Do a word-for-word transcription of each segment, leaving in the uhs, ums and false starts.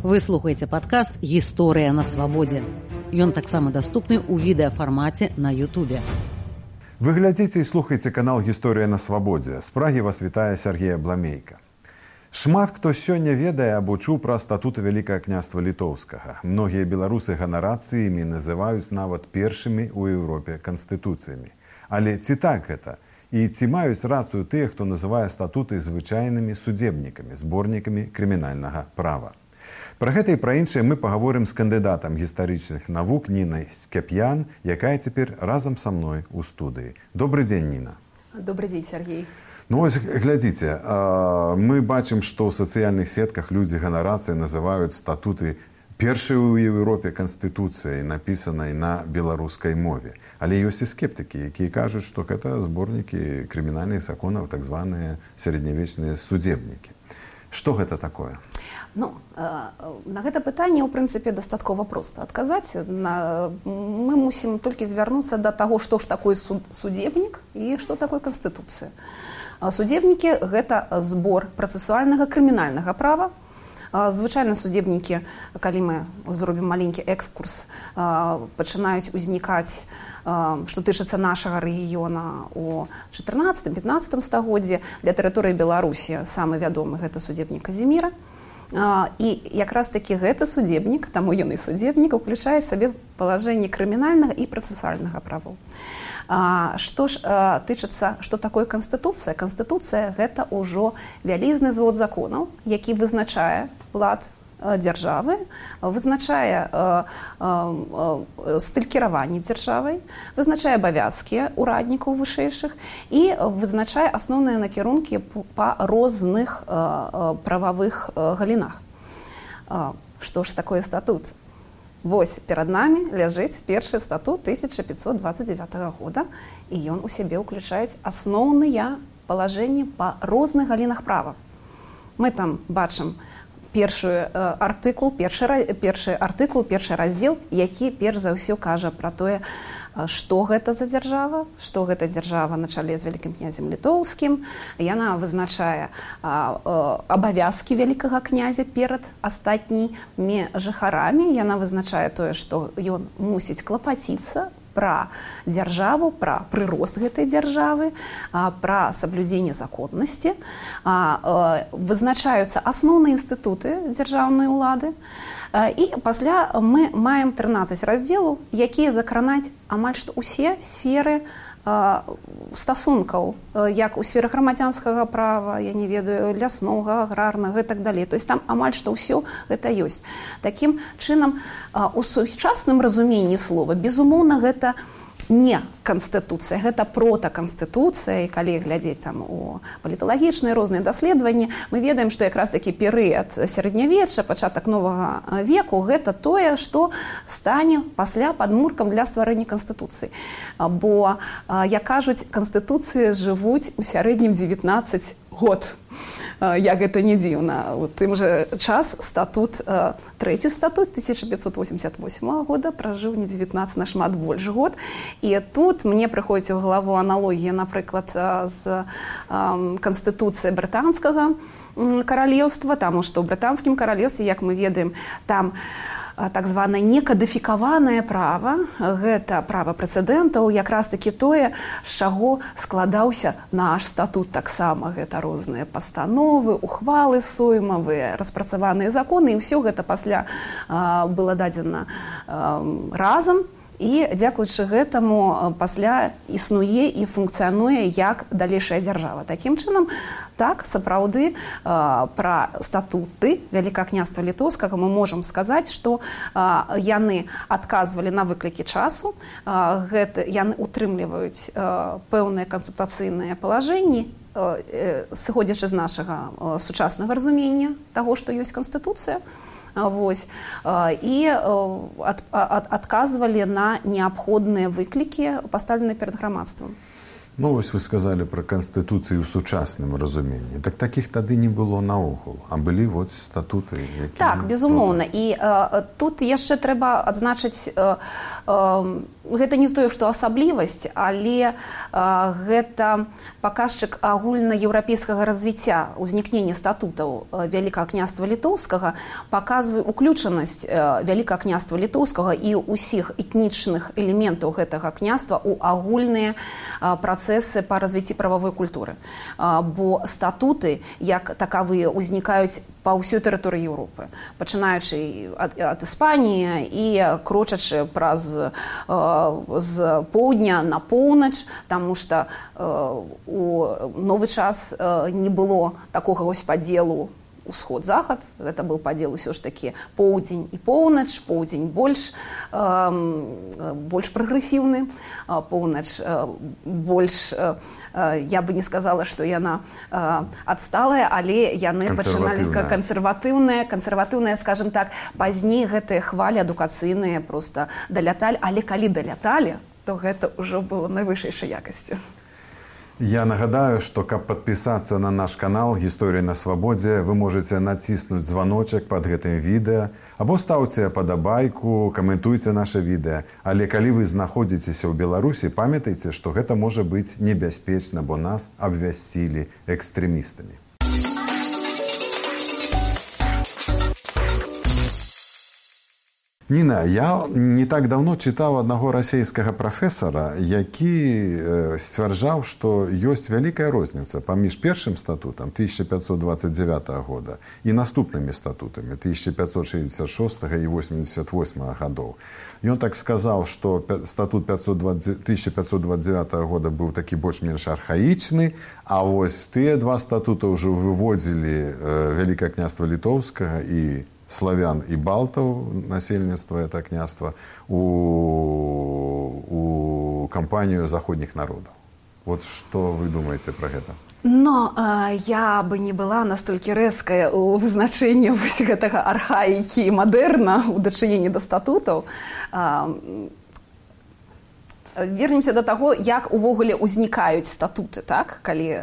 Вы слухаеце падкаст «Гісторыя на свабодзе». Ён таксама даступны ў відэафармаце на Ютубе. Вы глядзіце і слухаеце канал «Гісторыя на свабодзе». З Прагі вас вітае Сергей Абламейка. Шмат хто сёння ведае або чуў пра статуты Вялікага княства Літоўскага. Многія беларусы ганарацца імі называюць нават першымі ў Еўропе канстытуцыямі. Але ці так гэта? І ці маюць рацыю тыя, хто называе статуты звычайнымі судзебнікамі, зборнікамі крымінальнага права? Пра гэта і пра іншае мы пагаворым з кандыдатам гістарычных навук Нінай Скап'ян, якая цяпер разам са мной у студыі. Добры дзень, Ніна. Добры дзень, Сергей. Ну вось, глядзіце, мы бачым, што ў сацыяльных сетках людзі ганарацыі называюць статуты першай у Еўропе канстытуцыяй, напісанай на беларускай мове. Але ёсць і скептыкі, якія кажуць, што гэта зборнікі крымінальных законаў, так званыя сярэднявечныя судзебнікі. Што гэта такое? Ну, на гэта пытанне, ў прынцыпе, дастаткова проста адказаць. Мы мусім толькі звярнуцца да таго, што ж такое судзебнік і што такое канстытуцыя. Судзебнікі – гэта збор працэсуальнага крымінальнага права. Звычайна судзебнікі, калі мы зробім маленькі экскурс, пачынаюць узнікаць, што тычыцца нашага рэгіёна ў чатырнаццатым-пятнаццатым стагоддзі. Для тэрыторыі Беларусі самы вядомы гэта судзебнік Казіміра. І якраз такі гэты судзебнік, таму ён і судзебнік, уключае сабе палажэнне крымінальнага і працэсуальнага правоў. Што ж тычыцца, што такое канстытуцыя? Канстытуцыя – гэта ўжо вялізны звод законаў, які вызначае лад дзяржавы, вызначае стыль кіравання дзяржавай, вызначае абавязкі ўраднікаў вышэйшых і вызначае асноўныя накірункі па розных прававых галінах. Што ж такое статут? Вось перад намі ляжыць першы статут тысяча пятьсот двадцать девятого года, і ён у сябе ўключае асноўныя палажэнні па розных галінах права. Мы там бачым першы артыкул, першы, першы артыкул, першы раздзел, які перш за ўсё кажа пра тое, што гэта за дзяржава, што гэта дзяржава на чале з вялікім князем Літоўскім. Яна вызначае абавязкі вялікага князя перад астатнімі жыхарамі. Яна вызначае тое, што ён мусіць клапаціцца пра дзяржаву, пра прырост гэтай дзяржавы, пра саблюдзенне законнасці. Вызначаюцца асноўныя інстытуты дзяржаўнай улады. І пасля мы маем трынаццаць раздзелаў, якія закранаць амаль што ўсе сферы стасункаў, як у сферы грамадзянскага права, я не ведаю, ляснога, аграрнага і так далей. То есть там амаль што ўсё гэта ёсць. Такім чынам, у сучасным разуменні слова, безумоўна, гэта не канстытуцыя, гэта протаканстытуцыя. І калі глядзець там у паліталагічныя розныя даследаванні, мы ведаем, што якраз такі перыяд сярэднявечча, пачатак новага веку, гэта тое, што стане пасля падмуркам для стварэння канстытуцыі. Бо, як кажуць, канстытуцыі жывуць у сярэднім дзевятнаццаць год. Як гэта не дзіўна. У тым жа час статут, трэці статут тысяча пятьсот восемьдесят восьмого года пражыў не дзевятнаццаць, нашмат больш год. І тут мне прыходзіць у галаву аналогія, напрыклад, з канстытуцыяй брытанскага каралеўства, таму што ў брытанскім каралеўстве, як мы ведаем, там так званае некадыфікаванае права, гэта права прэцэдэнтаў, якраз такі тое, з чаго складаўся наш статут таксама. Гэта розныя пастановы, ухвалы соймавыя, распрацаваныя законы, і ўсё гэта пасля было дадзена разам. І дзякуючы гэтаму пасля існуе і функцыянуе як далейшая дзяржава. Такім чынам, так, сапраўды, пра статуты Вялікага княства Літоўскага мы можам сказаць, што яны адказвалі на выклікі часу, яны утрымліваюць пэўныя кансультацыйныя палажэнні, сыходзячы з нашага сучаснага разумення таго, што ёсць канстытуцыя. Вось. І ад, ад, адказвалі на неабходныя выклікі, паставленыя перад грамадствам. Ну, вось вы сказалі пра канстытуцыю ў сучасным разуменні. Так такіх тады не было наогул, а былі вот статуты, якія... Так, безумоўна. І э, тут яшчэ трэба адзначыць, э, э, гэта не тое, што асаблівасць, але э, гэта паказчык агульнаеўрапейскага развіцця, узнікнення статутаў Вялікага княства Літоўскага, паказвае уключанасць э, Вялікага княства Літоўскага і ўсіх этнічных элементаў гэтага княства ў агульныя э, працэсы по развіцці прававой культуры. Бо статуты, як такавыя, узнікаюць па ўсёй тэрыторыі Еўропы, пачынаючы ад, ад Іспаніі і крочачы праз з поўдня на поўнач, таму што у новы час не было такога вось падзелу усход-захад, гэта быў падзел усё ж такі поўдзень і поўнач, поўдзень больш, э, больш прагрэсіўны, поўнач э, больш, э, я бы не сказала, што яна э, адсталая, але яны пачыналі кансерватыўныя, кансерватыўныя, скажем так, пазней гэтыя хвалі адукацыйныя проста даляталі, але калі даляталі, то гэта ўжо было найвышэйшай якасці. Я нагадаю, што каб падпісацца на наш канал «Гісторыя на свабодзе», вы можаце націснуць званочак пад гэтым відэа, або стаўце падабайку, каментуйце наша відэа. Але калі вы знаходзіцеся ў Беларусі, памятайце, што гэта можа быць небяспечна, бо нас абвясцілі экстрэмістамі. Ніна, я не так давно чытаў аднаго расійскага прафесара, які сцвярджаў, што ёсць вялікая розніца паміж першым статутам тысяча пятьсот двадцать девятого года і наступнымі статутамі тысяча пятьсот шестьдесят шестого і восемьдесят восьмого гадоў. Ён так сказаў, што статут тысяча пятьсот двадцать девятого года быў такі больш-менш архаічны, а вось тыя два статута ўжо выводзілі Вялікае княства Літоўскага і славян і балтаў, насельніцтва это княства, у, у кампанію заходніх народаў. Вот што вы думаеце пра гэта? Но э, я бы не была настолькі рэзкая ў вызначэнні вось гэтага архаікі і мадэрна ў дачыненні да статутаў. Э, Вернемся до таго, як увогуле ўзнікаюць статуты, так, калі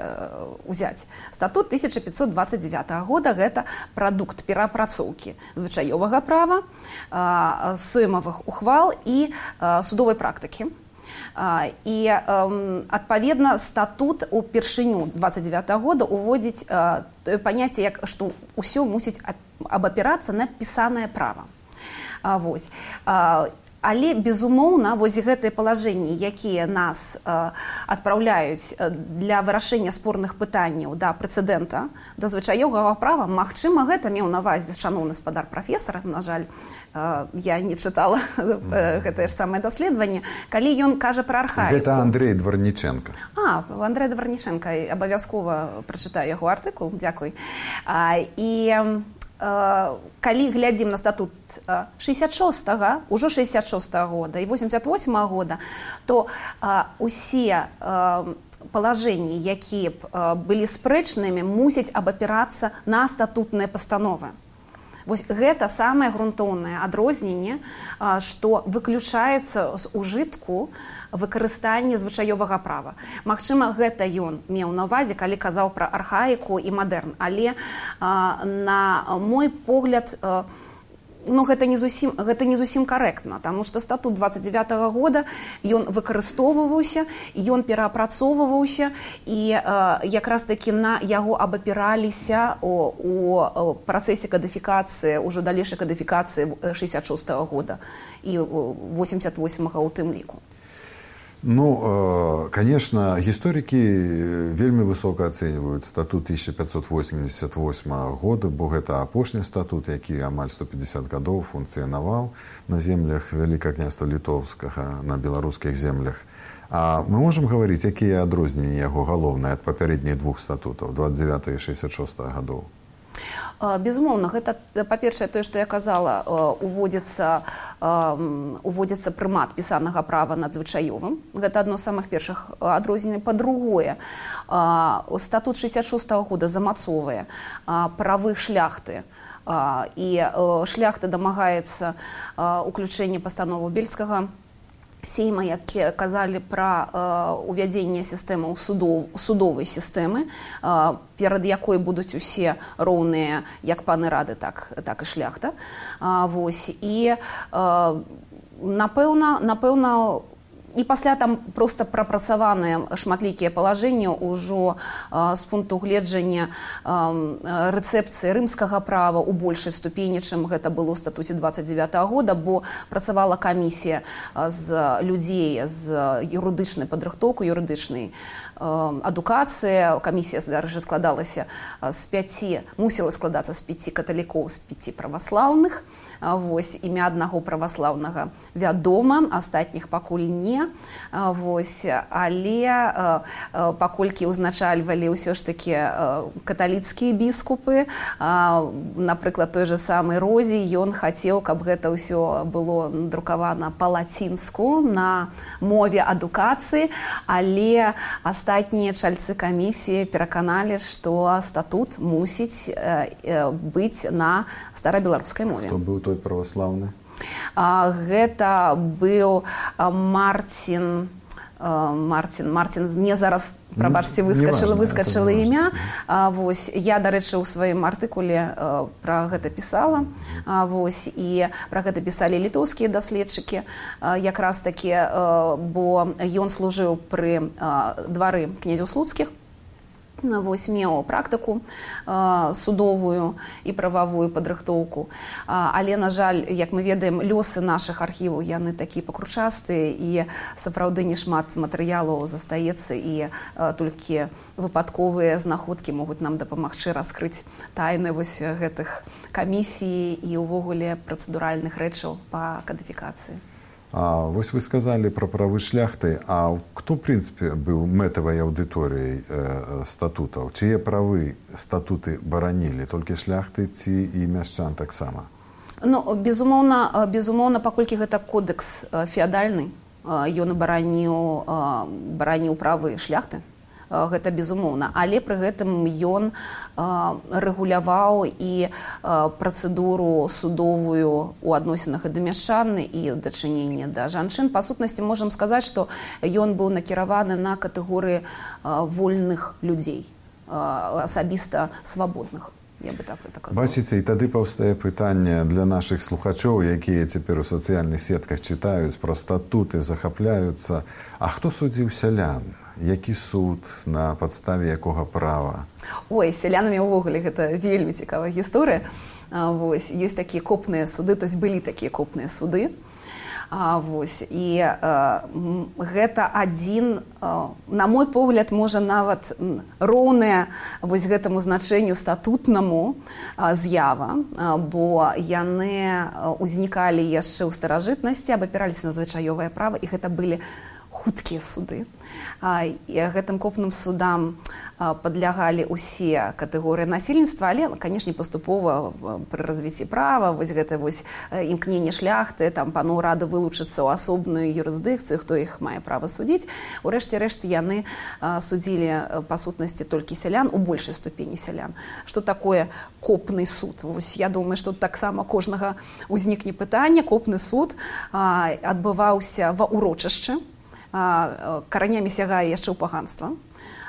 ўзяць. Статут тысяча пятьсот двадцать девятого года – гэта прадукт перапрацоўкі звычаёвага права, соймавых ухвал і судовай практыкі. І, адпаведна, статут упершыню двадцать девятого года уводзіць тое паняцце, як што ўсё мусіць абапірацца на пісанае права. Вось. Але, безумоўна, вось гэтыя палажэнні, якія нас э, адпраўляюць для вырашэння спорных пытанняў да прэцэдэнта, да звычаёвага права, магчыма, гэта меў на ўвазе шаноўны спадар прафесара, на жаль, э, я не чытала э, гэтае ж самае даследаванне, калі ён кажа пра архаіку. Гэта Андрей Дварніченка. А, Андрей Дварніченка, абавязкова прачытаю яго артыкул, дзякуй. А, і... калі глядзім на статут шестьдесят шестого, ўжо шестьдесят шестого года і восемьдесят восьмого года, то усе палажэнні, якія б былі спрэчнымі, мусяць абапірацца на статутныя пастановы. Вось гэта самае грунтоўнае адрозненне, што выключаецца з ужытку выкарыстанне звычаёвага права. Магчыма, гэта ён меў на ўвазе, калі казаў пра архаіку і мадэрн. Але, на мой погляд, ну, гэта не зусім, гэта не зусім карэктна, таму што статут двадцать девятого года, ён выкарыстоўваўся, ён пераапрацоўваўся, і якраз такі на яго абапіраліся у, у працэсе кадыфікацыі, ўжо далейшай кадыфікацыі шестьдесят шестого года і восемьдесят восьмого ў тым ліку. Ну, конечно, гісторыкі вельмі высока ацэньваюць статут тысяча пятьсот восемьдесят восьмого года, бо гэта апошні статут, які амаль сто пятьдесят гадоў функцыянаваў на землях Вялікага княства Літоўскага, на беларускіх землях. А мы можам гаварыць, якія адрозненні яго галоўныя ад папярэдніх двух статутаў двадцать девятого і шестьдесят шестого гадоў? Безумоўна, гэта, па-першае, тое, што я казала, уводзіцца, уводзіцца прымат пісанага права над звычаёвым. Гэта адно з самых першых адрозненняў. Па-другое, статут шестьдесят шестого года замацоўвае правы шляхты, і шляхта дамагаецца уключэння пастановы Бельскага Сейма, як казалі пра э, увядзенне сістэмаў судов, судовай сістэмы, э, перад якой будуць усе роўныя як паны рады, так, так і шляхта. А, вось, і э, напэўна, напэўна, і пасля там проста прапрацаваныя шматлікія палажэнні ўжо э, з пункту гледжання э, рэцэпцыі рымскага права ў большай ступені, чым гэта было ў статуце дваццаць дзевятага года, бо працавала камісія з людзей з юрыдычнай падрыхтоўку, юрыдычнай адукацыя. Камісія, дарэчы, складалася з пяці, мусіла складацца з пяці каталікоў, з пяці праваслаўных. Вось, імя аднаго праваслаўнага вядома, астатніх пакуль не. Вось, але паколькі ўзначальвалі ўсё ж такі каталіцкія біскупы, напрыклад, той же самы Розі, ён хацеў, каб гэта ўсё было друкавана па-лацінску на мове адукацыі, але астатнія чальцы камісіі пераканалі, што статут мусіць быць на старабеларускай мове. Хто быў той праваслаўны? Гэта быў Марцін, Марцін, Марцін, мне зараз, прабачце, выскачыла, выскачыла імя. Вось, я, дарэчы, у сваім артыкуле пра гэта пісала. Вось, і пра гэта пісалі літоўскія даследчыкі, якраз такі, бо ён служыў пры двары князяў слуцкіх. Вось, меў практыку э, судовую і прававую падрыхтоўку. А, але, на жаль, як мы ведаем, лёсы нашых архіваў, яны такі пакручастыя, і сапраўды не шмат матэрыялаў застаецца, і э, толькі выпадковыя знаходкі могуць нам дапамагчы раскрыць тайны вось гэтых камісій і ўвогуле працэдуральных рэчаў па кадыфікацыі. А вось вы сказалі пра правы шляхты, а хто, ў прынцыпе, быў мэтавай аўдыторыяй э, статутаў? Чые правы статуты баранілі? Толькі шляхты ці і мяшчан таксама? Ну, безумоўна, безумоўна, паколькі гэта кодекс феадальны, ён бараніў, бараніў правы шляхты. Гэта безумоўна, але пры гэтым ён рэгуляваў і працэдуру судовую ў адносінах і да мяшчан, і ў дачыненні да жанчын. Па сутнасці можам сказаць, што ён быў накіраваны на катэгорыі вольных людзей, асабіста свабодных. Я бы так это казала. Бачыце, і тады паўстае пытанне для нашых слухачоў, якія цяпер у сацыяльных сетках чытаюць пра статуты, захапляюцца. А хто судзіў сялян? Які суд, на падставе якога права? Ой, з сялянамі ўвогуле гэта вельмі цікавая гісторыя. Вось, ёсць такія копныя суды, то есть былі такія копныя суды. А, вось, і а, гэта адзін, а, на мой погляд, можа нават роўная вось гэтаму значэнню статутнаму а, з'ява, а, бо яны ўзнікалі яшчэ ў старажытнасці, абапіраліся на звычаёвае права, і гэта былі хуткія суды. А, і гэтым копным судам падлягалі ўсе катэгорыі насельніцтва, але, канешне, паступова пры развіцці права, вось гэта вось імкненне шляхты, там паноў рады вылучыцца ў асобную юрысдыкцыю, хто іх мае права судзіць. У рэшце рэшт яны судзілі па сутнасці толькі сялян, у большай ступені сялян. Што такое копны суд? Вось я думаю, што таксама кожнага ўзнікне пытанне. Копны суд адбываўся ва ўрочышчы, каранямі сягае яшчэ ў паганства.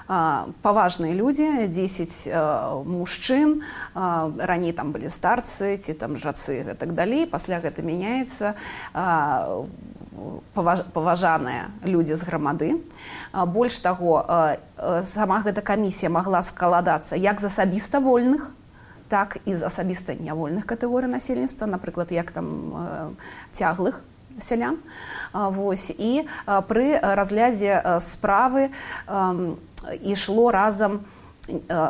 Паважныя людзі, дзесяць мужчын, раней там былі старцы ці там жацы і так далей, пасля гэта мяняецца, паважаныя людзі з грамады. Больш таго, сама гэта камісія магла складацца як з асабіста вольных, так і з асабіста нявольных катэгорый насельніцтва, напрыклад, як там цяглых сялян. Вось, і пры разглядзе справы ішло разам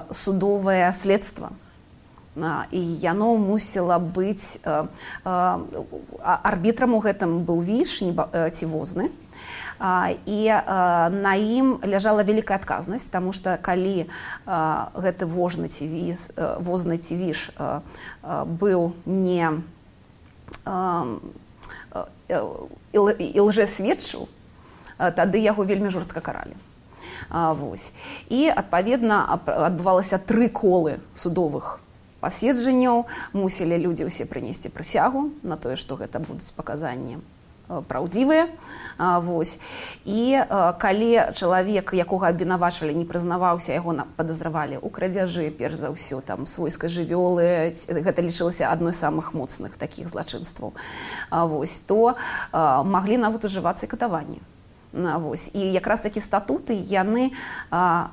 судовае следства. І яно мусіла быць, арбітрам у гэтым быў віш ці возны, і на ім ляжала вялікая адказнасць, таму што калі гэты возны ці віш, возны ці віш быў не і лжэсведчыў, тады яго вельмі жорстка каралі. А, вось. І, адпаведна, адбывалася тры колы судовых паседжанняў. Мусілі людзі ўсе прынесці прысягу на тое, што гэта будуць паказанні праўдзівыя. Вось. І калі чалавек, якога абвінавачвалі, не прызнаваўся, яго падазравалі ў крадзяжы, перш за ўсё, там, свойскай жывёлы, гэта лічылася адной з самых моцных такіх злачынстваў, вось, то маглі нават ужывацца і катаванні. Вось. І якраз такі статуты яны а,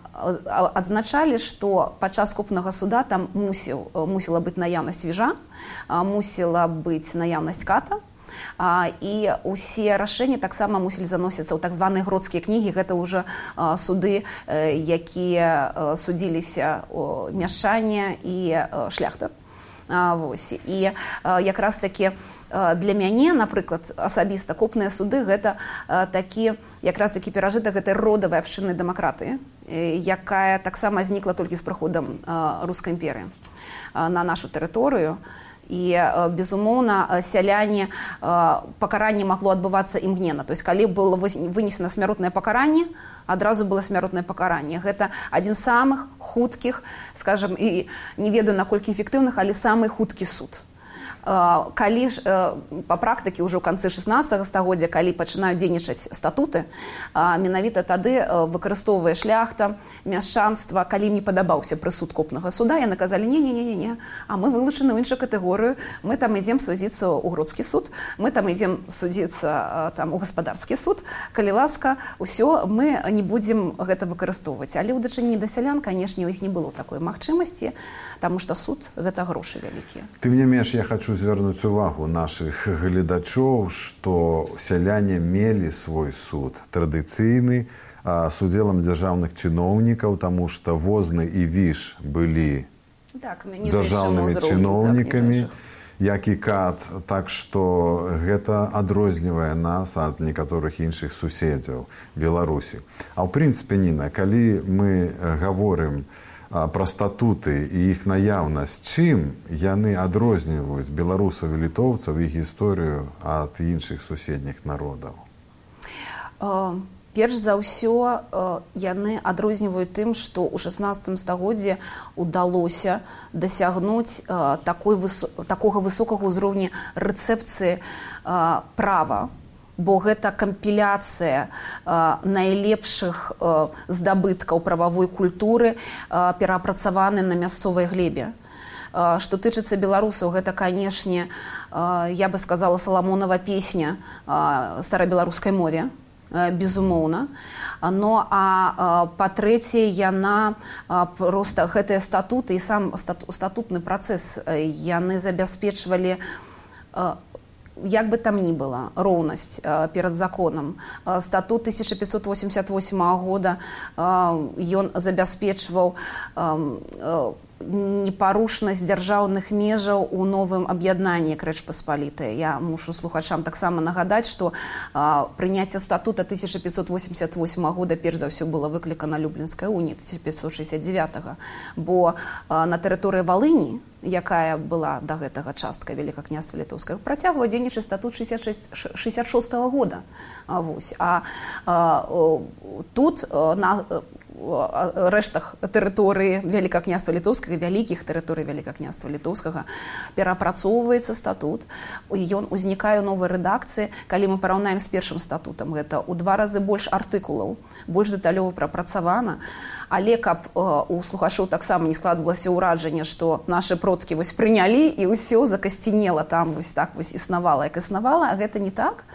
адзначалі, што падчас купнага суда там мусіў, мусіла быць наяўнасць віжа, а, мусіла быць наяўнасць ката, а, і ўсе рашэнні таксама мусілі заносіцца ў так званыя гродскія кнігі. Гэта ўжо а, суды, а, якія а, судзіліся мяшчане і а, шляхта. А, вось. І а, якраз такі для мяне, напрыклад, асабіста купныя суды гэта а, такі, якраз такі перажытак гэтай родавай абшчыннай дэмакратыі, якая таксама знікла толькі з прыходам а, рускай імперыі а, на нашу тэрыторыю. І, безумоўна, сяляне, пакаранне магло адбывацца імгненна. То есть, калі было вынесена смяротнае пакаранне, адразу было смяротнае пакаранне. Гэта адзін з самых хуткіх, скажам, і не ведаю, наколькі эфектыўных, але самы хуткі суд. Калі ж па практыкі ўжо ў канцы шаснаццатага стагоддзя, калі пачынаюць дзейнічаць статуты, менавіта тады выкарыстоўвае шляхта, мяшчанства, калі ім не падабаўся прысуд копнага суда, яны казалі: не, не, не, не, а мы вылучаны ў іншую катэгорыю, мы там ідзем судзіцца ў гродскі суд, мы там ідзем судзіцца там у гаспадарскі суд, калі ласка, ўсё, мы не будзем гэта выкарыстоўваць. Але ў дачыненні да сялян, канешне, у іх не было такой магчымасці, таму што суд гэта грошы вялікія. Тым не менш, я хочу звярнуць увагу нашых гледачоў, што сяляне мелі свой суд традыцыйны з удзелам дзяржаўных чыноўнікаў, таму што возны і віж былі так, дзяржаўнымі чыноўнікамі, так, як і кат. Так што гэта адрознівае нас ад некаторых іншых суседзяў Беларусі. А ў прынцыпе, Ніна, калі мы гаворым пра статуты і іх наяўнасць, чым яны адрозніваюць беларусаў і літоўцаў, іх гісторыю ад іншых суседніх народаў? Перш за ўсё, яны адрозніваюць тым, што ў шаснаццатым стагоддзі ўдалося дасягнуць такой, такога высокага ўзроўня рэцэпцыі права, бо гэта кампіляцыя а, найлепшых а, здабыткаў прававой культуры, а, перапрацаваны на мясцовай глебе. А, што тычыцца беларусаў, гэта, канешне, а, я бы сказала, Саламонова песня а, старабеларускай мове, а, безумоўна. Но, а, а па-трэцяе, яна а, проста гэтыя статуты і сам стату, статутны працэс яны забяспечвалі а, як бы там ні была, роўнасць э, перад законам. Э, статут тысяча пятьсот восемьдесят восьмого года ён э, забяспечваў э, э, непарушнасць дзяржаўных межаў у новым аб'яднанні Рэч Паспалітай. Я мушу слухачам таксама нагадаць, што а, прыняцце статута тысяча пятьсот восемьдесят восьмого года перш за ўсё было выклікана Люблінскай уніяй тысяча пятьсот шестьдесят девятого, бо а, на тэрыторыі Валыні, якая была да гэтага частка Вялікага княства Літоўскага, працягваў дзейнічаць статут шестьдесят шестого года. А, вось. А, а тут а, на рэштах тэрыторыі Вялікага княства Літоўскага, вялікіх тэрыторый Вялікага княства Літоўскага перапрацоўваецца статут, ён узнікае ў новай рэдакцыі. Калі мы параўнаем з першым статутам, гэта ў два разы больш артыкулаў, больш дэталёва прапрацавана. Але каб э, у слухачоў таксама не складвалася ўражанне, што нашы продкі вось прынялі і ўсё закасцінела там, вось так вось існавала, як існавала, а гэта не так.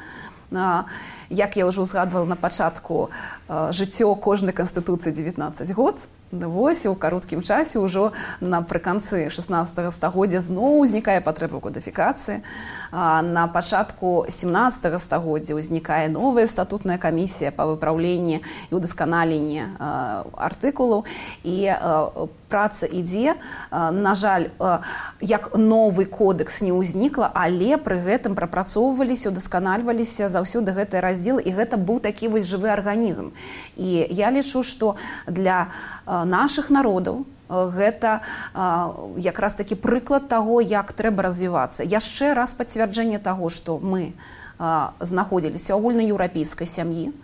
А, як я ўжо узгадвала на пачатку, а, жыццё кожнай канстытуцыі дзевятнаццаць год, вось у кароткім часе ўжо напрыканцы шаснаццатага стагоддзя зноў узнікае патрэба ў кодыфікацыі. А, на пачатку сямнаццатага стагоддзя ўзнікае новая статутная камісія па выпраўленні і ўдасканаленні а, артыкулаў. І а, праца ідзе. А, на жаль, а, як новы кодекс не ўзнікла, але пры гэтым прапрацоўваліся, удасканальваліся заўсёды гэтыя раздзелы, і гэта быў такі вось жывы арганізм. І я лічу, што для а, нашых народаў гэта а, якраз такі прыклад таго, як трэба развівацца. Яшчэ раз пацвярджэнне таго, што мы а, знаходзіліся ў агульнаеўрапейскай сям'і,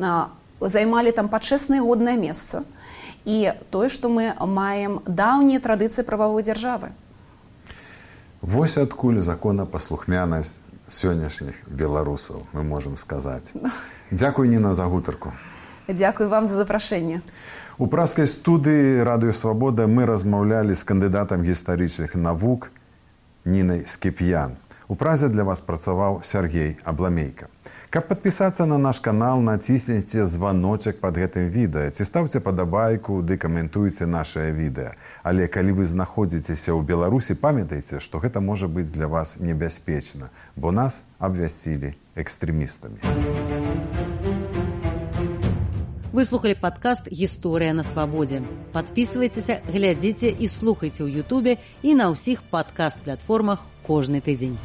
а, займалі там пачэснае і годнае месца, і тое, што мы маем даўнія традыцыі прававой дзяржавы. Вось адкуль законапаслухмянасць сённяшніх беларусаў, мы можам сказаць. Дзякуй, Ніна, за гутарку. Дзякуй вам за запрашэнне. У пражскай студыі «Радыё Свабода» мы размаўлялі з кандыдатам гістарычных навук Нінай Скіп'ян. У Празе для вас працаваў Сяргей Абламейка. Каб падпісацца на наш канал, націсніце званочак пад гэтым відэа, ці стаўце падабайку, ды каментуйце нашае відэа. Але калі вы знаходзіцеся ў Беларусі, памятайце, што гэта можа быць для вас небяспечна, бо нас абвясцілі экстрэмістамі. Вы слухали падкаст «Гісторыя на свабодзе». Падпісвайцеся, глядзіце і слухайце ў Ютубе і на ўсіх падкаст-платформах кожны тыдзень.